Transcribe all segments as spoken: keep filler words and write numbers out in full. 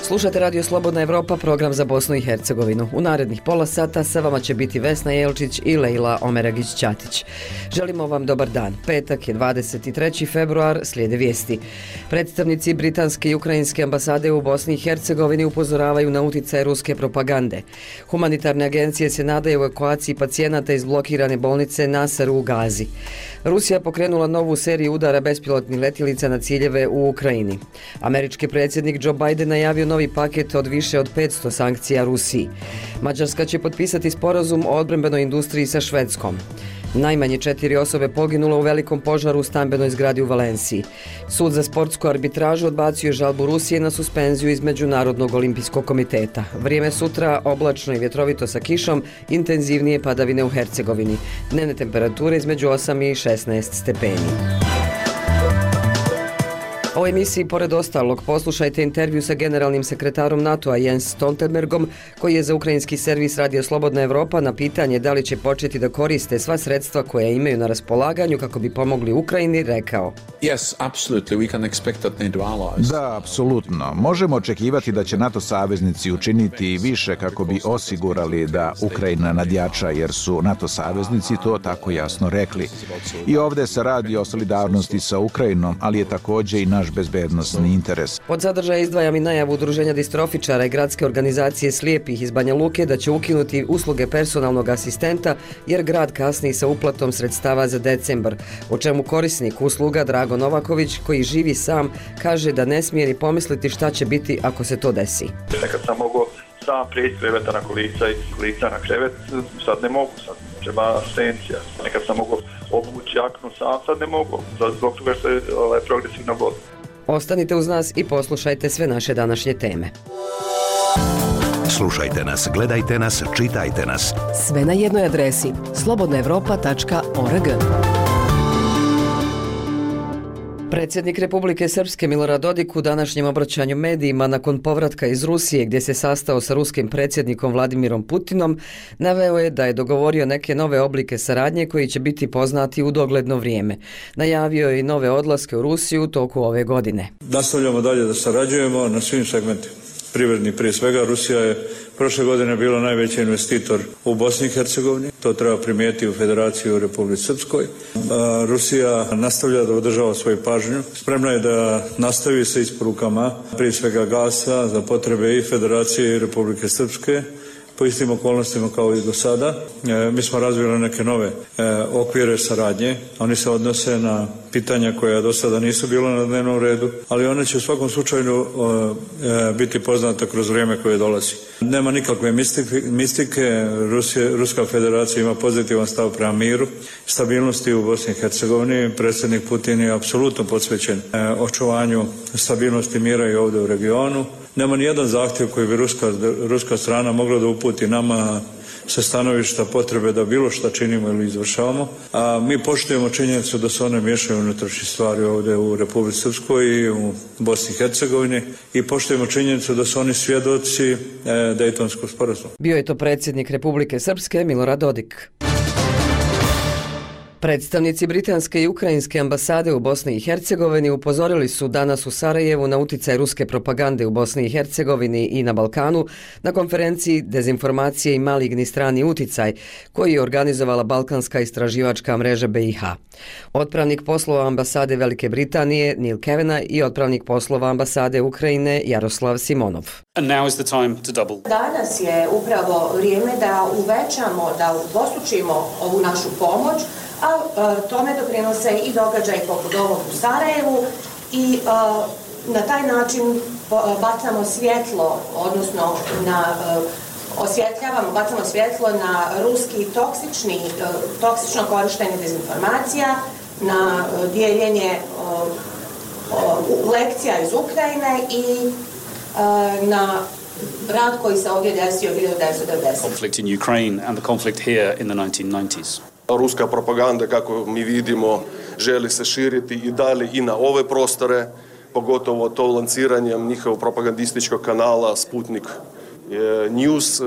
Slušate Radio Slobodna Evropa, program za Bosnu i Hercegovinu. U narednih pola sata sa vama će biti Vesna Jelčić i Lejla Omeragić-Ćatić. Želimo vam dobar dan. Petak je dvadeset treći februar, slijede vijesti. Predstavnici britanske i ukrajinske ambasade u Bosni i Hercegovini upozoravaju na uticaj ruske propagande. Humanitarne agencije se nadaju evakuaciji pacijenata iz blokirane bolnice Nasser u Gazi. Rusija pokrenula novu seriju udara bespilotnih letjelica na ciljeve u Ukrajini. Američki predsjednik Joe Biden najavio novi paket od više od petsto sankcija Rusiji. Mađarska će potpisati sporazum o odbrambenoj industriji sa Švedskom. Najmanje četiri osobe poginulo u velikom požaru u stambenoj zgradi u Valenciji. Sud za sportsku arbitražu odbacio je žalbu Rusije na suspenziju iz Međunarodnog olimpijskog komiteta. Vrijeme sutra oblačno i vjetrovito sa kišom, intenzivnije padavine u Hercegovini. Dnevne temperature između osam i šesnaest stepeni. U emisiji, pored ostalog, poslušajte intervju sa generalnim sekretarom NATO-a Jens Stoltenbergom, koji je za ukrajinski servis Radio Slobodna Evropa na pitanje da li će početi da koriste sva sredstva koja imaju na raspolaganju kako bi pomogli Ukrajini, rekao: Yes, absolutely. We can expect that NATO allies. Da, apsolutno. Možemo očekivati da će NATO saveznici učiniti više kako bi osigurali da Ukrajina nadjača, jer su NATO saveznici to tako jasno rekli. I ovdje se radi o solidarnosti sa Ukrajinom, ali je također i naš bezbednosni interes. Od sadržaja izdvajam i najavu Udruženja distrofičara i gradske organizacije slijepih iz Banja Luke da će ukinuti usluge personalnog asistenta jer grad kasni sa uplatom sredstava za decembar, o čemu korisnik usluga Drago Novaković, koji živi sam, kaže da ne smije ni pomisliti šta će biti ako se to desi. Nekad sam mogao sam prijeći kreveta na kolica i kolica na krevet, sad ne mogu, sad treba asistencija. Nekad sam mogao obući jaknu sam, sad ne mogu, zbog toga što je ovaj, progresivna voda. Ostanite uz nas i poslušajte sve naše današnje teme. Slušajte nas, gledajte nas, čitajte nas. Sve na jednoj adresi slobodna evropa tačka org. Predsjednik Republike Srpske Milorad Dodik u današnjem obraćanju medijima nakon povratka iz Rusije, gdje se sastao sa ruskim predsjednikom Vladimirom Putinom, naveo je da je dogovorio neke nove oblike saradnje koji će biti poznati u dogledno vrijeme. Najavio je i nove odlaske u Rusiju u toku ove godine. Nastavljamo dalje da sarađujemo na svim segmentima. Privredni prije svega. Rusija je prošle godine bila najveći investitor u Bosni i Hercegovini. To treba primijetiti u Federaciji u Republici Srpskoj. Rusija nastavlja da održava svoju pažnju. Spremna je da nastavi sa isporukama prije svega gasa za potrebe i Federacije i Republike Srpske po istim okolnostima kao i do sada. E, mi smo razvili neke nove e, okvire saradnje. Oni se odnose na pitanja koja do sada nisu bila na dnevnom redu, ali one će u svakom slučaju e, biti poznata kroz vrijeme koje dolazi. Nema nikakve mistike. mistike. Rusije, Ruska federacija ima pozitivan stav prema miru, stabilnosti u Bosni i Hercegovini. Predsjednik Putin je apsolutno posvećen e, očuvanju stabilnosti mira i ovdje u regionu. Nema ni jedan zahtjev koji bi ruska, ruska strana mogla da uputi nama sa stanovišta potrebe da bilo šta činimo ili izvršavamo. A mi poštujemo činjenicu da se one miješaju unutrašnje stvari ovdje u Republici Srpskoj i u Bosni i Hercegovini i poštujemo činjenicu da su oni svjedoci e, Dejtonskog sporazuma. Bio je to predsjednik Republike Srpske Milorad Dodik. Predstavnici britanske i ukrajinske ambasade u Bosni i Hercegovini upozorili su danas u Sarajevu na uticaj ruske propagande u Bosni i Hercegovini i na Balkanu na konferenciji Dezinformacije i maligni strani uticaj koji je organizovala Balkanska istraživačka mreža B i H. Otpravnik poslova ambasade Velike Britanije Neil Kavanagh i otpravnik poslova ambasade Ukrajine Jaroslav Simonov. Danas je upravo vrijeme da uvećamo, da udvostručimo ovu našu pomoć, a tome doprinose i događaj poput ovog u Sarajevu i a, na taj način bacamo svjetlo, odnosno na, a, osvjetljavamo, bacamo svjetlo na ruski toksični, a, toksično korištenje dezinformacija, na a, dijeljenje a, a, lekcija iz Ukrajine i a, na rad koji se ovdje desio hiljadu devetsto devedesete. Conflict in Ukraine and the conflict here in the nineteen nineties. Ruska propaganda, kako mi vidimo, želi se širiti i dalje i na ove prostore, pogotovo to lanciranjem njihovog propagandističkog kanala Sputnik News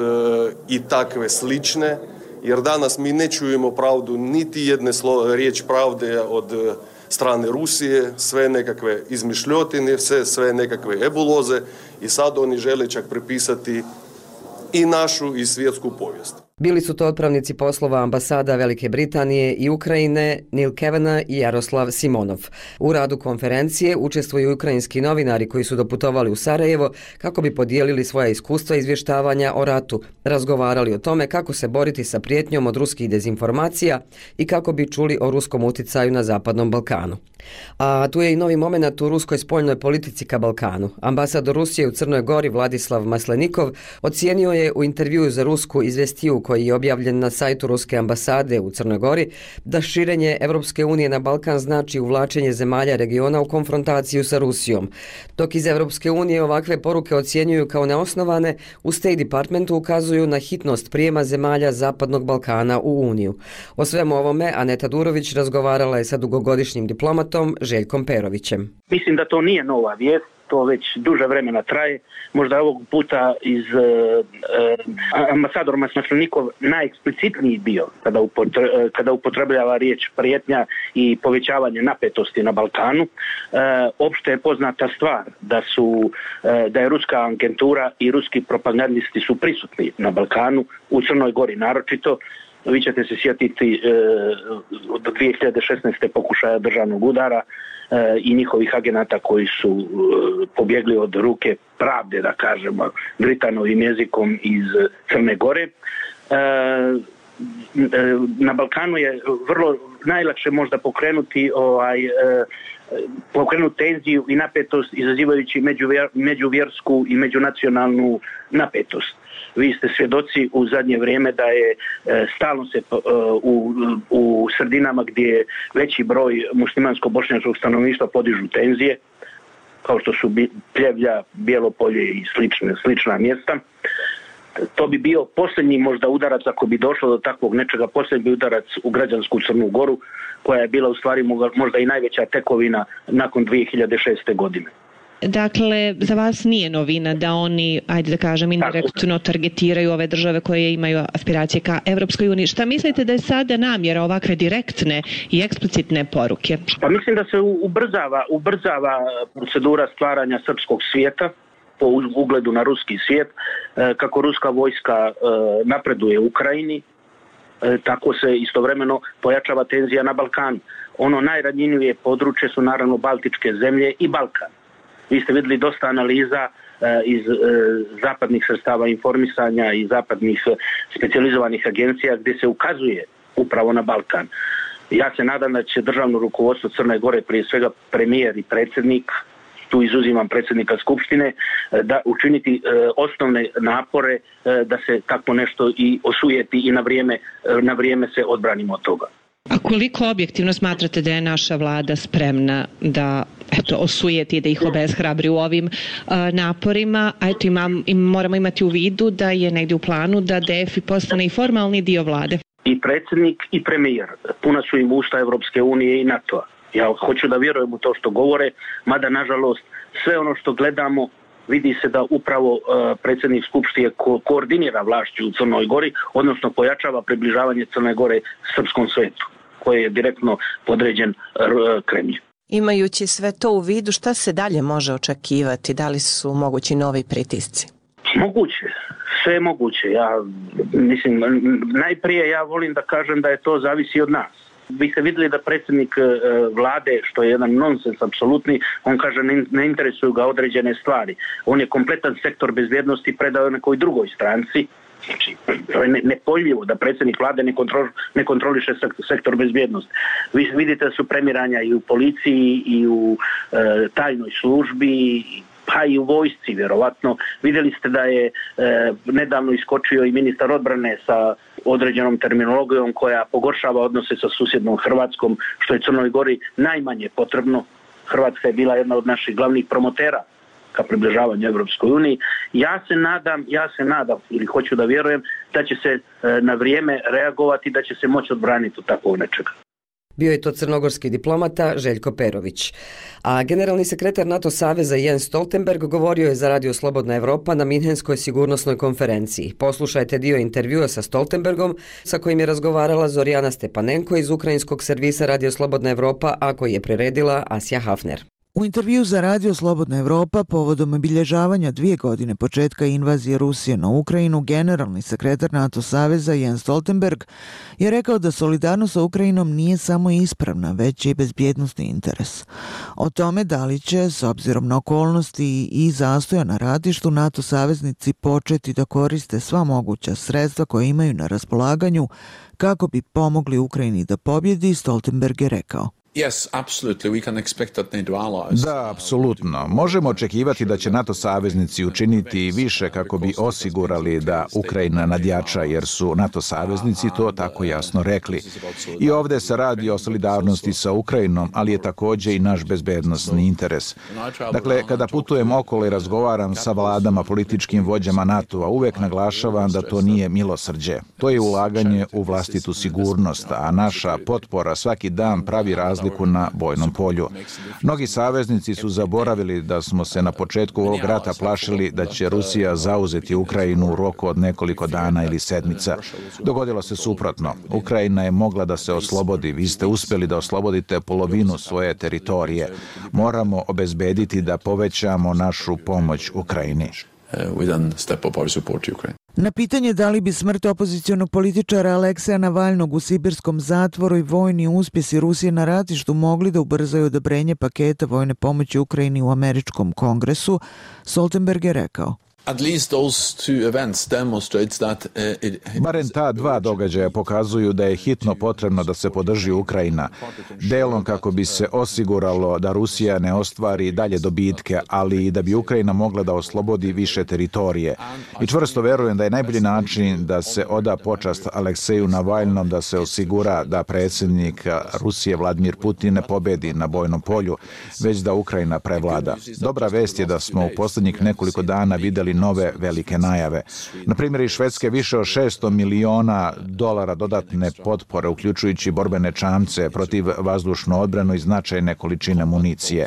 i takve slične, jer danas mi ne čujemo pravdu, niti jedne riječ pravde od strane Rusije, sve nekakve izmišljotine, sve, sve nekakve ebuloze i sad oni žele čak prepisati i našu i svjetsku povijest. Bili su to otpravnici poslova ambasada Velike Britanije i Ukrajine Neil Kavanagh i Jaroslav Simonov. U radu konferencije učestvuju ukrajinski novinari koji su doputovali u Sarajevo kako bi podijelili svoja iskustva izvještavanja o ratu, razgovarali o tome kako se boriti sa prijetnjom od ruskih dezinformacija i kako bi čuli o ruskom uticaju na Zapadnom Balkanu. A tu je i novi moment u ruskoj spoljnoj politici ka Balkanu. Ambasador Rusije u Crnoj Gori Vladislav Maslenikov ocijenio je u intervjuu za rusku izvestiju koji je objavljen na sajtu Ruske ambasade u Crnoj Gori da širenje Evropske unije na Balkan znači uvlačenje zemalja regiona u konfrontaciju sa Rusijom. Dok iz Evropske unije ovakve poruke ocjenjuju kao neosnovane, u State Departmentu ukazuju na hitnost prijema zemalja Zapadnog Balkana u Uniju. O svemu ovome Aneta Durović razgovarala je sa dugogodišnjim diplomatom Željkom Perovićem. Mislim da to nije nova vijest. To već duže vremena traje. Možda ovog puta iz uh, uh, ambasador Maslenikov najeksplicitniji bio kada, upotre, uh, kada upotrebljava riječ prijetnja i povećavanje napetosti na Balkanu. Uh, opšte je poznata stvar da su uh, da je ruska agentura i ruski propagandisti su prisutni na Balkanu, u Crnoj Gori naročito. Vi ćete se sjetiti uh, od dvije hiljade šesnaeste. pokušaja državnog udara i njihovih agenata koji su pobjegli od ruke pravde, da kažemo, Britanovim jezikom iz Crne Gore. Na Balkanu je vrlo najlakše možda pokrenuti ovaj pokrenuti tenziju i napetost izazivajući međuvjer, međuvjersku i međunacionalnu napetost. Vi ste svjedoci u zadnje vrijeme da je e, stalno se e, u, u sredinama gdje je veći broj muslimansko-bošnjačkog stanovništva podižu tenzije, kao što su Pljevlja, Bijelopolje i slične, slična mjesta. To bi bio posljednji možda udarac, ako bi došlo do takvog nečega, posljednji udarac u građansku Crnu Goru, koja je bila u stvari možda i najveća tekovina nakon dvije hiljade šeste. godine. Dakle, za vas nije novina da oni, ajde da kažem, indirektno targetiraju ove države koje imaju aspiracije ka Evropskoj uniji. Šta mislite da je sada namjera ovakve direktne i eksplicitne poruke? Pa mislim da se ubrzava, ubrzava procedura stvaranja srpskog svijeta po ugledu na ruski svijet, kako ruska vojska napreduje u Ukrajini, tako se istovremeno pojačava tenzija na Balkanu. Ono najranjivije područje su naravno Baltičke zemlje i Balkan. Vi ste vidjeli dosta analiza e, iz e, zapadnih sredstava informisanja i zapadnih e, specijalizovanih agencija gdje se ukazuje upravo na Balkan. Ja se nadam da će državno rukovodstvo Crne Gore, prije svega premijer i predsjednik, tu izuzimam predsjednika Skupštine, e, da učiniti e, osnovne napore e, da se tako nešto i osujeti i na vrijeme, e, na vrijeme se odbranimo od toga. A koliko objektivno smatrate da je naša vlada spremna da eto, osujeti i da ih obeshrabri u ovim uh, naporima? A eto, imam, im, moramo imati u vidu da je negdje u planu da D F I postane i formalni dio vlade. I predsjednik i premijer, puna su im usta Evropske unije i NATO-a. Ja hoću da vjerujem u to što govore, mada nažalost sve ono što gledamo vidi se da upravo uh, predsjednik Skupštine ko- koordinira vlašću u Crnoj Gori, odnosno pojačava približavanje Crne Gore srpskom svetu, koji je direktno podređen uh, Kremlju. Imajući sve to u vidu, šta se dalje može očekivati? Da li su mogući novi pritisci? Moguće, sve je moguće. Ja mislim, najprije ja volim da kažem da je to zavisi od nas. Vi ste vidjeli da predsjednik e, vlade, što je jedan nonsens apsolutni, on kaže ne, ne interesuju ga određene stvari. On je kompletan sektor bezbjednosti predao nekoj drugoj stranci. Znači, to je ne, nepojmljivo da predsjednik vlade ne, kontrol, ne kontroliše sektor bezbjednosti. Vi vidite da su premiranja i u policiji i u e, tajnoj službi, pa i u vojsci vjerovatno. Vidjeli ste da je e, nedavno iskočio i ministar odbrane sa određenom terminologijom koja pogoršava odnose sa susjednom Hrvatskom, što je Crnoj Gori najmanje potrebno. Hrvatska je bila jedna od naših glavnih promotera ka približavanju Evropskoj uniji. Ja se nadam, ja se nadam ili hoću da vjerujem da će se e, na vrijeme reagovati, da će se moći odbraniti od takvog nečega. Bio je to crnogorski diplomata Željko Perović. A generalni sekretar NATO saveza Jens Stoltenberg govorio je za Radio Slobodna Evropa na Minhenskoj sigurnosnoj konferenciji. Poslušajte dio intervjua sa Stoltenbergom sa kojim je razgovarala Zorijana Stepanenko iz ukrajinskog servisa Radio Slobodna Evropa, a koji je priredila Asja Hafner. U intervju za Radio Slobodna Evropa povodom obilježavanja dvije godine početka invazije Rusije na Ukrajinu, generalni sekretar NATO saveza Jens Stoltenberg je rekao da solidarnost sa Ukrajinom nije samo ispravna, već i bezbjednosni interes. O tome da li će, s obzirom na okolnosti i zastoja na ratištu, NATO saveznici početi da koriste sva moguća sredstva koje imaju na raspolaganju kako bi pomogli Ukrajini da pobjedi, Stoltenberg je rekao. Yes, absolutely. We can expect that NATO allies. Da, apsolutno. Možemo očekivati da će NATO saveznici učiniti više kako bi osigurali da Ukrajina nadjača, jer su NATO saveznici to tako jasno rekli. I ovdje se radi o solidarnosti sa Ukrajinom, ali je također i naš bezbednosni interes. Dakle, kada putujem okolo i razgovaram sa vladama, političkim vođama NATO-a, uvek naglašavam da to nije milosrđe. To je ulaganje u vlastitu sigurnost, a naša potpora svaki dan pravi razliku na bojnom polju. Mnogi saveznici su zaboravili da smo se na početku ovog rata plašili da će Rusija zauzeti Ukrajinu u roku od nekoliko dana ili sedmica. Dogodilo se suprotno. Ukrajina je mogla da se oslobodi. Vi ste uspjeli da oslobodite polovinu svoje teritorije. Moramo obezbediti da povećamo našu pomoć Ukrajini. Na pitanje da li bi smrt opozicionog političara Alekseja Navalnog u sibirskom zatvoru i vojni uspjesi Rusije na ratištu mogli da ubrzaju odobrenje paketa vojne pomoći Ukrajini u američkom kongresu, Stoltenberg je rekao. At least those two events demonstrates that uh, it, Barem ta dva događaja pokazuju da je hitno potrebno da se podrži Ukrajina, delom kako bi se osiguralo da Rusija ne ostvari dalje dobitke, ali i da bi Ukrajina mogla da oslobodi više teritorije. I čvrsto verujem da je najbolji način da se oda počast Alekseju Navalnom, da se osigura da predsjednik Rusije Vladimir Putin ne pobedi na bojnom polju, već da Ukrajina prevlada. Dobra vest je da smo u posljednjih nekoliko dana vidjeli nove velike najave. Na primjer, iz Švedske više od šesto miliona dolara dodatne potpore, uključujući borbene čamce protiv vazdušnu odbranu i značajne količine municije.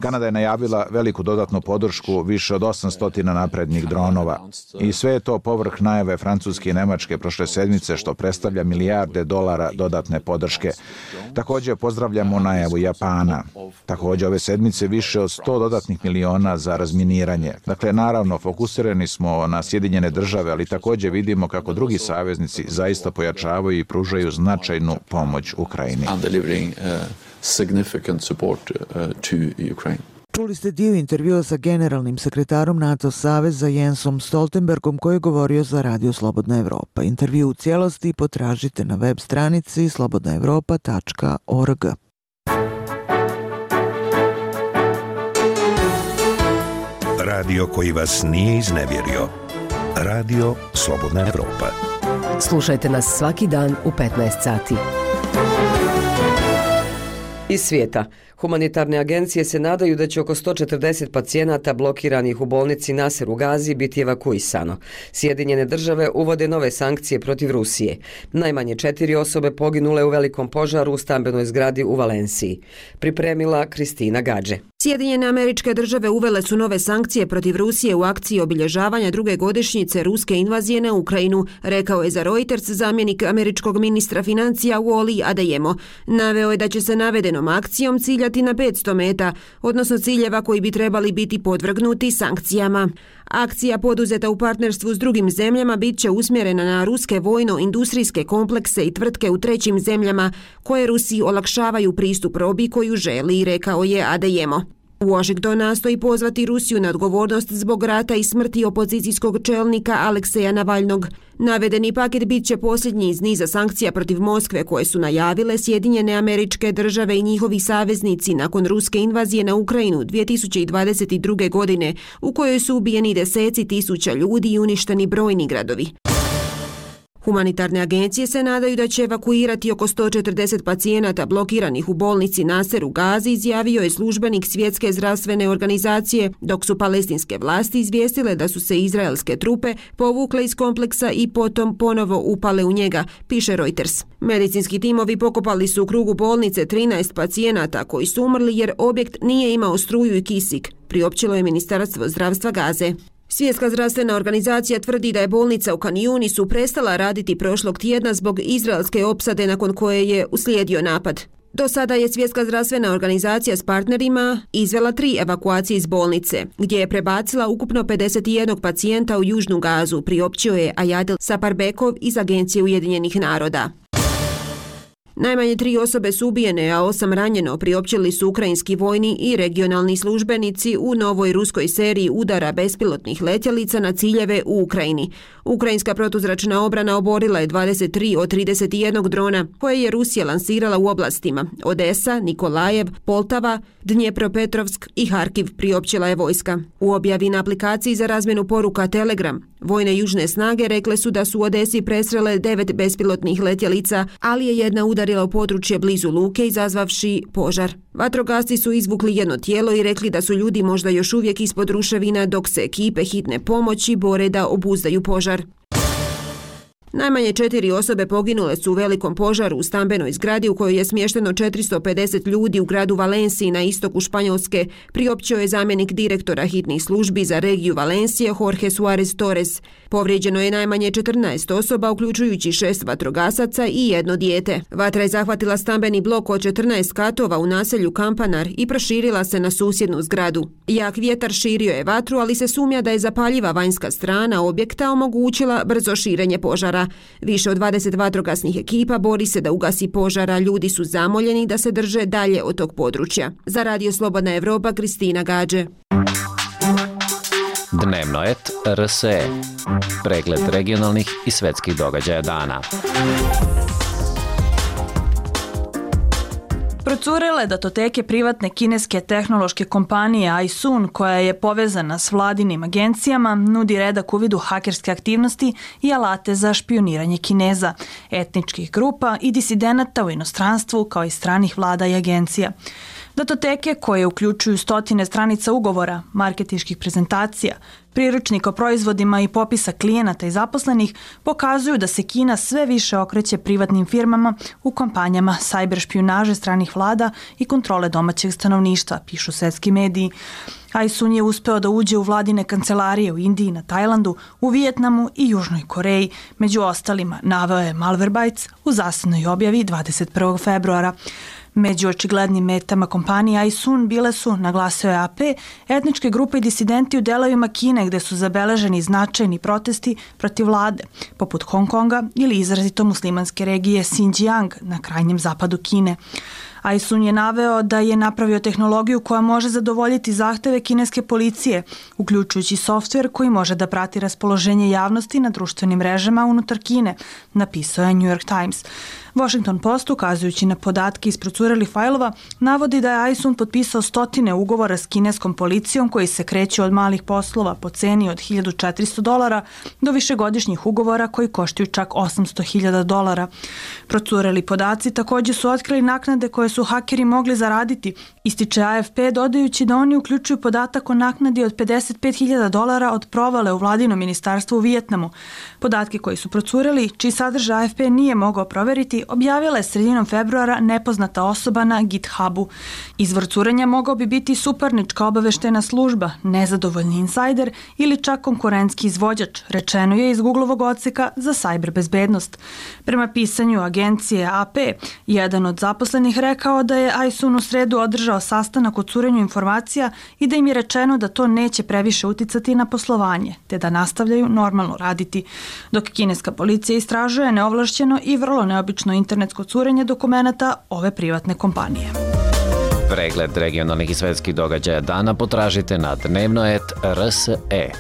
Kanada je najavila veliku dodatnu podršku više od osamsto naprednih dronova. I sve je to povrh najave Francuske i Nemačke prošle sedmice, što predstavlja milijarde dolara dodatne podrške. Također pozdravljamo najavu Japana. Također ove sedmice više od sto dodatnih miliona za razminiranje. Dakle, naravno, fokusirani smo na Sjedinjene države, ali također vidimo kako drugi saveznici zaista pojačavaju i pružaju značajnu pomoć Ukrajini. Čuli ste dio intervjua sa generalnim sekretarom NATO saveza Jensom Stoltenbergom koji je govorio za Radio Slobodna Evropa. Intervju u cijelosti potražite na web stranici slobodna evropa tačka org. Radio koji vas nije iznevjerio. Radio Slobodna Evropa. Slušajte nas svaki dan u petnaest sati. Iz svijeta. Humanitarne agencije se nadaju da će oko sto četrdeset pacijenata blokiranih u bolnici Nasser u Gazi biti evakuisano. Sjedinjene države uvode nove sankcije protiv Rusije. Najmanje četiri osobe poginule u velikom požaru u stambenoj zgradi u Valenciji. Pripremila Kristina Gađe. Sjedinjene Američke Države uvele su nove sankcije protiv Rusije u akciji obilježavanja druge godišnjice ruske invazije na Ukrajinu, rekao je za Reuters zamjenik američkog ministra financija Wally Adeyemo. Naveo je da će se navedenom akcijom ciljati na petsto meta, odnosno ciljeva koji bi trebali biti podvrgnuti sankcijama. Akcija poduzeta u partnerstvu s drugim zemljama bit će usmjerena na ruske vojno-industrijske komplekse i tvrtke u trećim zemljama koje Rusiji olakšavaju pristup robi koju želi, rekao je Adeyemo. Washington nastoji pozvati Rusiju na odgovornost zbog rata i smrti opozicijskog čelnika Alekseja Navalnog. Navedeni paket bit će posljednji iz niza sankcija protiv Moskve koje su najavile Sjedinjene Američke Države i njihovi saveznici nakon ruske invazije na Ukrajinu dvije tisuće dvadeset druge. godine, u kojoj su ubijeni deseci tisuća ljudi i uništeni brojni gradovi. Humanitarne agencije se nadaju da će evakuirati oko sto četrdeset pacijenata blokiranih u bolnici Nasser u Gazi, izjavio je službenik Svjetske zdravstvene organizacije, dok su palestinske vlasti izvijestile da su se izraelske trupe povukle iz kompleksa i potom ponovo upale u njega, piše Reuters. Medicinski timovi pokopali su u krugu bolnice trinaest pacijenata koji su umrli jer objekt nije imao struju i kisik, priopćilo je Ministarstvo zdravstva Gaze. Svjetska zdravstvena organizacija tvrdi da je bolnica u Kan Yunisu prestala raditi prošlog tjedna zbog izraelske opsade nakon koje je uslijedio napad. Do sada je Svjetska zdravstvena organizacija s partnerima izvela tri evakuacije iz bolnice, gdje je prebacila ukupno pedeset jedan pacijenta u Južnu Gazu, priopćio je Ayadel Saparbekov iz Agencije Ujedinjenih naroda. Najmanje tri osobe su ubijene, a osam ranjeno, priopćili su ukrajinski vojni i regionalni službenici u novoj ruskoj seriji udara bespilotnih letjelica na ciljeve u Ukrajini. Ukrajinska protuzračna obrana oborila je dvadeset tri od trideset jedan drona koje je Rusija lansirala u oblastima Odesa, Nikolajev, Poltava, Dnjepropetrovsk i Harkiv, priopćila je vojska. U objavi na aplikaciji za razmjenu poruka Telegram, vojne južne snage rekle su da su u Odesi presrele devet bespilotnih letjelica, ali je jedna udarila u područje blizu luke izazvavši požar. Vatrogasci su izvukli jedno tijelo i rekli da su ljudi možda još uvijek ispod ruševina dok se ekipe hitne pomoći bore da obuzdaju požar. Najmanje četiri osobe poginule su u velikom požaru u stambenoj zgradi u kojoj je smješteno četiristo pedeset ljudi u gradu Valenciji na istoku Španjolske, priopćio je zamjenik direktora hitnih službi za regiju Valencije Jorge Suarez Torres. Povrijeđeno je najmanje četrnaest osoba, uključujući šest vatrogasaca i jedno dijete. Vatra je zahvatila stambeni blok od četrnaest katova u naselju Kampanar i proširila se na susjednu zgradu. Jak vjetar širio je vatru, ali se sumnja da je zapaljiva vanjska strana objekta omogućila brzo širenje požara. Više od dvadeset vatrogasnih ekipa bori se da ugasi požara, ljudi su zamoljeni da se drže dalje od tog područja. Za Radio Slobodna Evropa, Kristina Gađe. Dnevnoet R S E. Pregled regionalnih i svetskih događaja dana. Procurele datoteke privatne kineske tehnološke kompanije iSun, koja je povezana s vladinim agencijama, nudi redak uvid u hakerske aktivnosti i alate za špioniranje Kineza, etničkih grupa i disidenata u inostranstvu kao i stranih vlada i agencija. Datoteke, koje uključuju stotine stranica ugovora, marketinških prezentacija, priručnika o proizvodima i popisa klijenata i zaposlenih, pokazuju da se Kina sve više okreće privatnim firmama u kampanjama sajber špijunaže stranih vlada i kontrole domaćeg stanovništva, pišu svetski mediji. iSun je uspeo da uđe u vladine kancelarije u Indiji, na Tajlandu, u Vijetnamu i Južnoj Koreji. Među ostalima, naveo je Malwarebytes u zasebnoj objavi dvadeset prvog februara. Među očiglednim metama kompanije iSun bile su, naglasio je A P, etničke grupe i disidenti u delovima Kine gde su zabeleženi značajni protesti protiv vlade, poput Hong Konga ili izrazito muslimanske regije Xinjiang na krajnjem zapadu Kine. iSun je naveo da je napravio tehnologiju koja može zadovoljiti zahteve kineske policije, uključujući softver koji može da prati raspoloženje javnosti na društvenim mrežama unutar Kine, napisao je New York Times. Washington Post, ukazujući na podatke iz procurelih fajlova, navodi da je iSun potpisao stotine ugovora s kineskom policijom koji se kreću od malih poslova po ceni od hiljadu četiristo dolara do višegodišnjih ugovora koji koštaju čak osamsto hiljada dolara. Procureli podaci također su otkrili naknade koje su hakeri mogli zaraditi, ističe A F P, dodajući da oni uključuju podatak o naknadi od pedeset pet hiljada dolara od provale u vladino ministarstvo u Vijetnamu. Podatke koji su procureli, čiji sadržaj A F P nije mogao proveriti, objavila je sredinom februara nepoznata osoba na GitHubu. Izvor curenja mogao bi biti suparnička obaveštena služba, nezadovoljni insajder ili čak konkurentski izvođač, rečeno je iz Googlovog odseka za sajber bezbednost. Prema pisanju agencije A P, jedan od zaposlenih rekao da je iSun u sredu održao sastanak o curenju informacija i da im je rečeno da to neće previše uticati na poslovanje, te da nastavljaju normalno raditi, dok kineska policija istražuje neovlašćeno i vrlo neobično internetsko curenje dokumenata ove privatne kompanije. Pregled regionalnih i svetskih događaja dana potražite na dnevnoet R S E.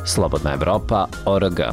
Slobodna Evropa, O R G.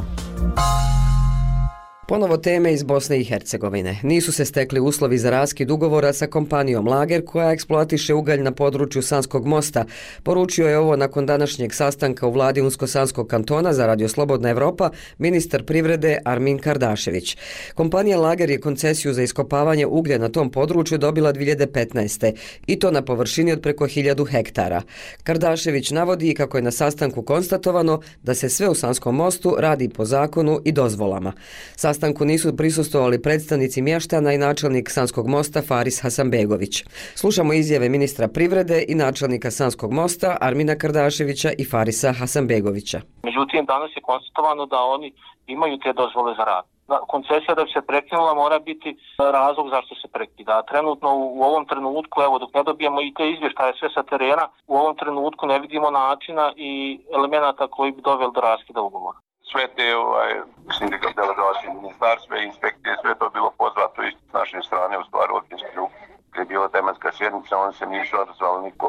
Ponovo teme iz Bosne i Hercegovine. Nisu se stekli uslovi za raskid ugovora sa kompanijom Lager koja eksploatiše ugalj na području Sanskog mosta. Poručio je ovo nakon današnjeg sastanka u vladi Unsko-Sanskog kantona za Radio Slobodna Evropa ministar privrede Armin Kardašević. Kompanija Lager je koncesiju za iskopavanje uglja na tom području dobila dvije hiljade petnaeste. i to na površini od preko hiljadu hektara. Kardašević navodi kako je na sastanku konstatovano da se sve u Sanskom mostu radi po zakonu i dozvolama. Sastanku nisu prisustvovali predstavnici mještana i načelnik Sanskog mosta Faris Hasanbegović. Slušamo izjave ministra privrede i načelnika Sanskog mosta Armina Kardaševića i Farisa Hasanbegovića. Međutim, danas je konstatovano da oni imaju te dozvole za rad. Koncesija da bi se prekinula mora biti razlog zašto se prekida. Trenutno u ovom trenutku, evo dok ne dobijemo i te izvještaje sve sa terena, u ovom trenutku ne vidimo načina i elemenata koji bi doveli do raskida ugovora. Sve te ovaj, sindikat delegacije ministarstva i inspekcije, sve to bilo pozvato i s naše strane u stvari općinski krug. Kad je bila tematska sjednica, oni se nisu odazvali niko.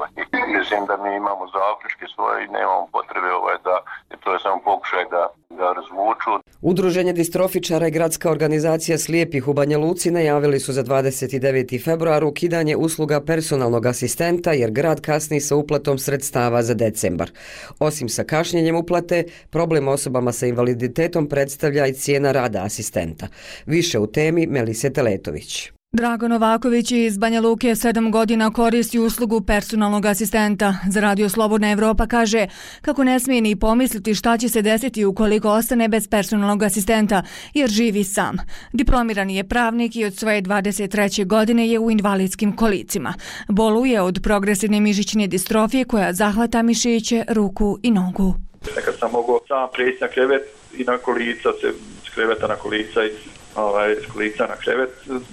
Mislim da mi imamo zaključke svoje i nemamo potrebe ovaj, da to je samo pokušaj da ga razvuču. Udruženje distrofičara i gradska organizacija slijepih u Banja Luci najavili su za dvadeset deveti februar ukidanje usluga personalnog asistenta jer grad kasni sa uplatom sredstava za decembar. Osim sa kašnjenjem uplate, problem osobama sa invaliditetom predstavlja i cijena rada asistenta. Više u temi Melise Teletović. Drago Novaković iz Banja Luke sedam godina koristi uslugu personalnog asistenta. Za Radio Slobodna Evropa kaže kako ne smije ni pomisliti šta će se desiti ukoliko ostane bez personalnog asistenta, jer živi sam. Diplomirani je pravnik i od svoje dvadeset treće godine je u invalidskim kolicima. Boluje od progresivne mišićne distrofije koja zahvata mišiće, ruku i nogu. Nekad sam mogao sam prijeći na krevet i na kolica, se s kreveta na kolica i ovaj, s kolica na krevet,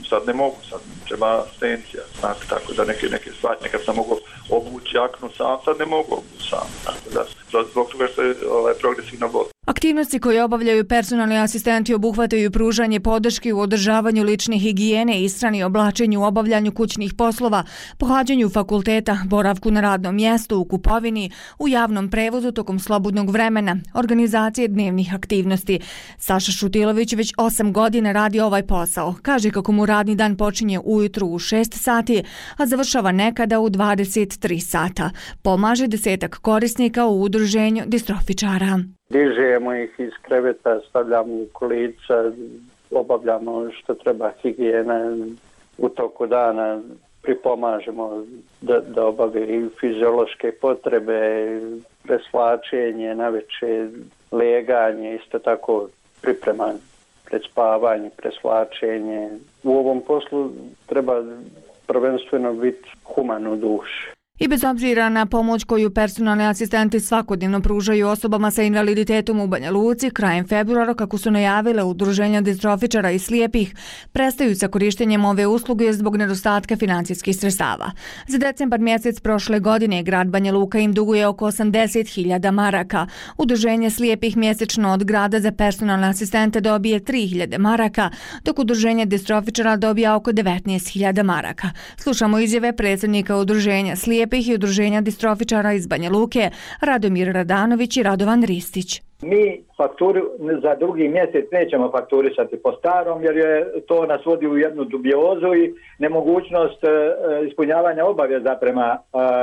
sad ne mogu, sad treba asistencija, znači, tako da neke, neke stvari, nekad sam mogao obući jaknu sam, sad ne mogu obući sam, tako da zbog toga što je ovaj, progresivna bol. Aktivnosti koje obavljaju personalni asistenti obuhvataju pružanje podrške u održavanju lične higijene, ishrani, oblačenju, obavljanju kućnih poslova, pohađanju fakulteta, boravku na radnom mjestu, u kupovini, u javnom prevozu tokom slobodnog vremena, organizacije dnevnih aktivnosti. Saša Šutilović već osam godina radi ovaj posao. Kaže kako mu radni dan počinje ujutru u šest sati, a završava nekada u dvadeset tri sata. Pomaže desetak korisnika u udruženju distrofičara. Dižemo ih iz kreveta, stavljamo u kolica, obavljamo što treba higijene u toku dana, pripomažemo da, da obave i fiziološke potrebe, presvlačenje, naveče, leganje, isto tako priprema pred spavanje, presvlačenje. U ovom poslu treba prvenstveno biti human u duši. I bez obzira na pomoć koju personalni asistenti svakodnevno pružaju osobama sa invaliditetom u Banja Luci, krajem februara, kako su najavile udruženja distrofičara i slijepih, prestaju sa korištenjem ove usluge zbog nedostatka financijskih sredstava. Za decembar mjesec prošle godine grad Banja Luka im duguje oko osamdeset hiljada maraka. Udruženje slijepih mjesečno od grada za personalne asistente dobije tri hiljade maraka, dok udruženje distrofičara dobija oko devetnaest hiljada maraka. Slušamo izjave predsjednika udruženja slijepih i udruženja distrofičara iz Banja Luke, Radomir Radanović i Radovan Ristić. Mi fakturu za drugi mjesec nećemo fakturisati po starom jer je to nas vodi u jednu dubiozu i nemogućnost e, ispunjavanja obaveza prema e,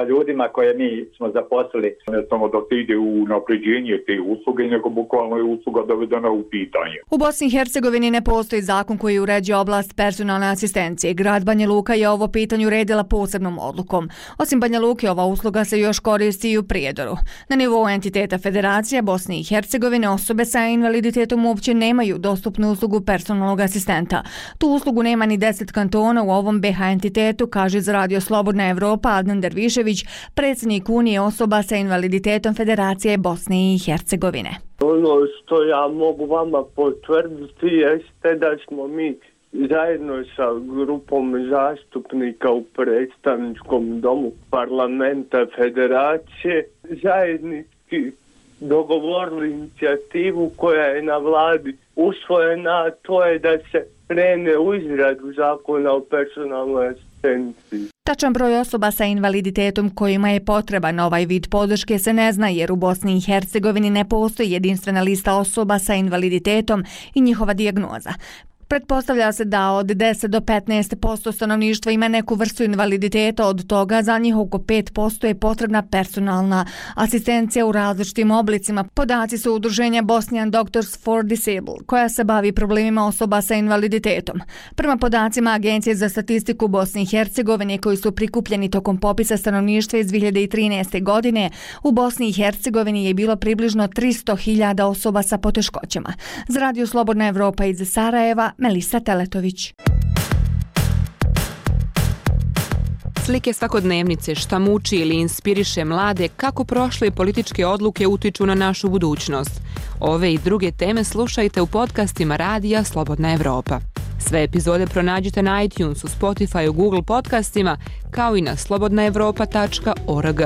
ljudima koje mi smo zaposlili. Ne samo da se ide u napređenje te usluge, nego bukvalno je usluga dovedena u pitanje. U Bosni i Hercegovini ne postoji zakon koji uređuje oblast personalne asistencije. Grad Banja Luka je ovo pitanje uredila posebnom odlukom. Osim Banja Luke, ova usluga se još koristi i u Prijedoru. Na nivou entiteta Federacija Bosne i Hercegovine osobe sa invaliditetom uopće nemaju dostupnu uslugu personalnog asistenta. Tu uslugu nema ni deset kantona u ovom B H entitetu, kaže za Radio Slobodna Evropa Adnan Dervišević, predsjednik Unije osoba sa invaliditetom Federacije Bosne i Hercegovine. Ono što ja mogu vama potvrditi jeste da smo mi zajedno sa grupom zastupnika u predstavničkom domu parlamenta Federacije zajednički dogovorili inicijativu koja je na vladi usvojena, to je da se krene u izradu zakona o personalnoj asistenciji. Tačan broj osoba sa invaliditetom kojima je potreban ovaj vid podrške se ne zna jer u Bosni i Hercegovini ne postoji jedinstvena lista osoba sa invaliditetom i njihova dijagnoza. Pretpostavlja se da od deset do petnaest posto stanovništva ima neku vrstu invaliditeta, od toga za njih oko pet posto je potrebna personalna asistencija u različitim oblicima. Podaci su udruženja Bosnian Doctors for Disabled, koja se bavi problemima osoba sa invaliditetom. Prema podacima Agencije za statistiku Bosne i Hercegovine koji su prikupljeni tokom popisa stanovništva iz dvije hiljade trinaeste. godine, u Bosni i Hercegovini je bilo približno tristo hiljada osoba sa poteškoćama. Za Radio Slobodna Evropa iz Sarajeva, Melisa Teletović. Slike svakodnevnice, šta muči ili inspiriše mlade, kako prošle političke odluke utiču na našu budućnost. Ove i druge teme slušajte u podcastima Radija Slobodna Evropa. Sve epizode pronađite na iTunesu, Spotifyu, Google podcastima, kao i na slobodna evropa tačka org.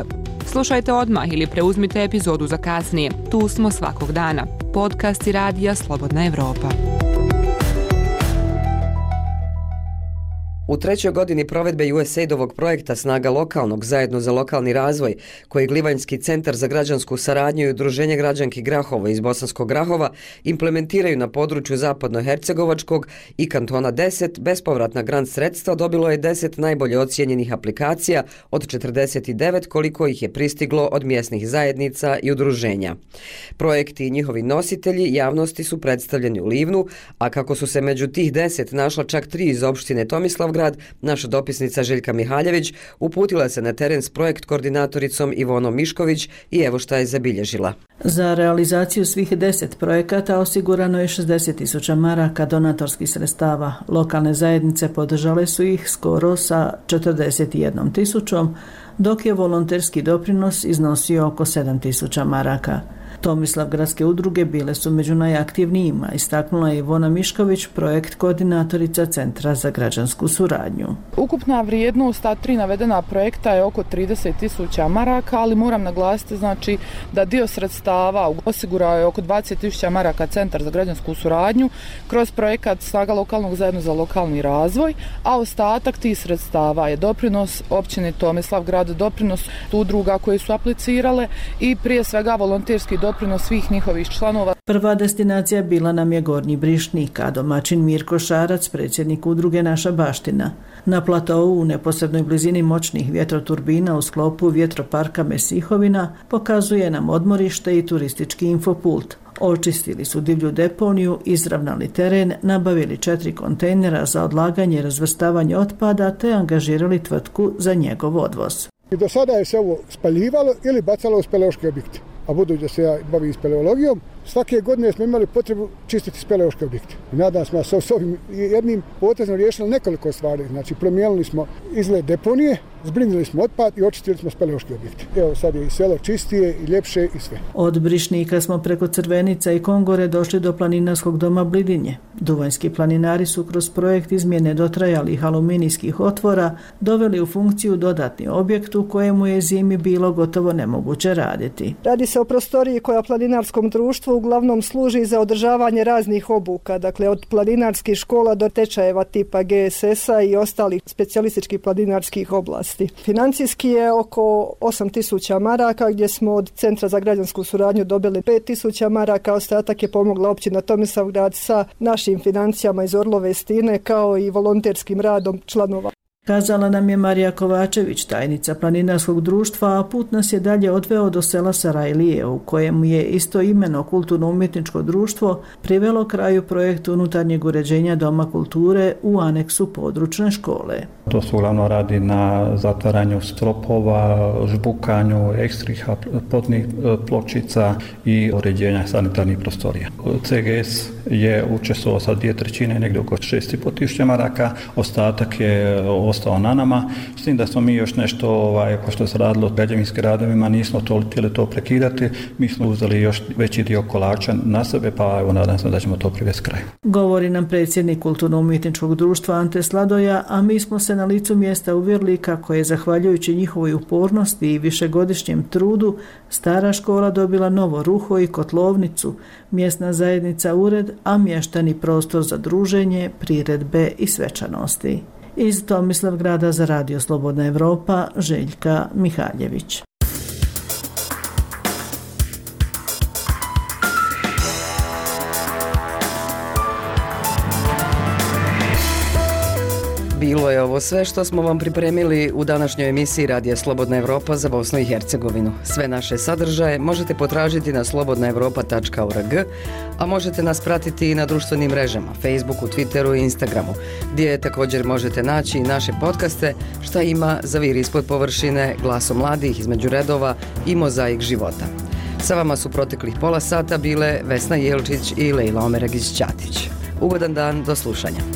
Slušajte odmah ili preuzmite epizodu za kasnije. Tu smo svakog dana. Podcasti Radija Slobodna Evropa. U trećoj godini provedbe U S A I D-ovog projekta Snaga lokalnog zajedno za lokalni razvoj, koji Glivanjski centar za građansku saradnju i Udruženje građanki Grahovo iz Bosanskog Grahova implementiraju na području Zapadnohercegovačkog i kantona deset, bespovratna grant sredstva dobilo je deset najbolje ocijenjenih aplikacija od četrdeset devet koliko ih je pristiglo od mjesnih zajednica i udruženja. Projekti i njihovi nositelji javnosti su predstavljeni u Livnu, a kako su se među tih deset našla čak tri iz opštine Tomislav grad, naša dopisnica Željka Mihaljević uputila se na teren s projekt koordinatoricom Ivonom Mišković i evo šta je zabilježila. Za realizaciju svih deset projekata osigurano je šezdeset tisuća maraka donatorskih sredstava. Lokalne zajednice podržale su ih skoro sa četrdeset jednom tisućom, dok je volonterski doprinos iznosio oko sedam tisuća maraka. Tomislav gradske udruge bile su među najaktivnijima, istaknula je Ivona Mišković, projekt koordinatorica Centra za građansku suradnju. Ukupna vrijednost ta tri navedena projekta je oko trideset tisuća maraka, ali moram naglasiti znači da dio sredstava osigurao je oko dvadeset tisuća maraka Centar za građansku suradnju kroz projekat Snaga lokalnog zajedno za lokalni razvoj, a ostatak tih sredstava je doprinos općine Tomislav grad, doprinos udruga koje su aplicirale i prije svega volonterski doprinos svih njihovih članova. Prva destinacija bila nam je Gornji Brišnik, a domaćin Mirko Šarac, predsjednik udruge Naša baština. Na platovu u neposrednoj blizini moćnih vjetroturbina u sklopu vjetroparka Mesihovina pokazuje nam odmorište i turistički infopult. Očistili su divlju deponiju, izravnali teren, nabavili četiri kontejnera za odlaganje i razvrstavanje otpada te angažirali tvrtku za njegov odvoz. I do sada je se ovo spaljivalo ili bacalo u speleološke objekte. A budući da se ja bavim speleologijom, svake godine smo imali potrebu čistiti speleološke objekte. I nadam smo da s ovim jednim potezom riješili nekoliko stvari. Znači, promijenili smo izgled deponije, zbrinili smo otpad i očistili smo speleološke objekte. Evo sad je i selo čistije i ljepše i sve. Od Brišnika smo preko Crvenica i Kongore došli do planinarskog doma Blidinje. Duvanjski planinari su kroz projekt izmjene dotrajalih aluminijskih otvora doveli u funkciju dodatni objekt u kojemu je zimi bilo gotovo nemoguće raditi. Radi se o prostoriji koja planinarskom društvu uglavnom služi za održavanje raznih obuka, dakle od planinarskih škola do tečajeva tipa G S S-a i ostalih specijalističkih planinarskih oblasti. Financijski je oko osam tisuća maraka, gdje smo od Centra za građansku suradnju dobili pet tisuća maraka, ostatak je pomogla općina Tomislavgrad sa našim financijama iz Orlove Stine kao i volonterskim radom članova. Kazala nam je Marija Kovačević, tajnica planinarskog društva, a put nas je dalje odveo do sela Sarajlije, u kojemu je istoimeno kulturno-umjetničko društvo privelo kraju projektu unutarnjeg uređenja Doma kulture u aneksu područne škole. To se uglavnom radi na zatvaranju stropova, žbukanju ekstrih podnih pločica i uređenja sanitarnih prostorija. C G S je učestvovao sa dvije trećine, negdje oko šest i pol tisuća maraka, ostatak je ostao na nama, s tim da smo mi još nešto, ovaj, pošto se radilo o građevinskim radovima, nismo to htjeli to prekidati, mi smo uzeli još veći dio kolača na sebe, pa evo nadam se da ćemo to privesti kraju. Govori nam predsjednik kulturno-umjetničkog društva Ante Sladoja, a mi smo se na licu mjesta uvjerili kako je, zahvaljujući njihovoj upornosti i višegodišnjem trudu, stara škola dobila novo ruho i kotlovnicu, mjesna zajednica ured, a mještani prostor za druženje, priredbe i svečanosti. Iz Tomislavgrada za Radio Slobodna Evropa, Željka Mihaljević. Bilo je ovo sve što smo vam pripremili u današnjoj emisiji Radija Slobodna Evropa za Bosnu i Hercegovinu. Sve naše sadržaje možete potražiti na slobodna evropa tačka org, a možete nas pratiti i na društvenim mrežama, Facebooku, Twitteru i Instagramu, gdje također možete naći i naše podcaste Šta ima za vir ispod površine, Glaso mladih između redova i Mozaik života. Sa vama su proteklih pola sata bile Vesna Jelčić i Lejla Omeragić-Ćatić. Ugodan dan, do slušanja.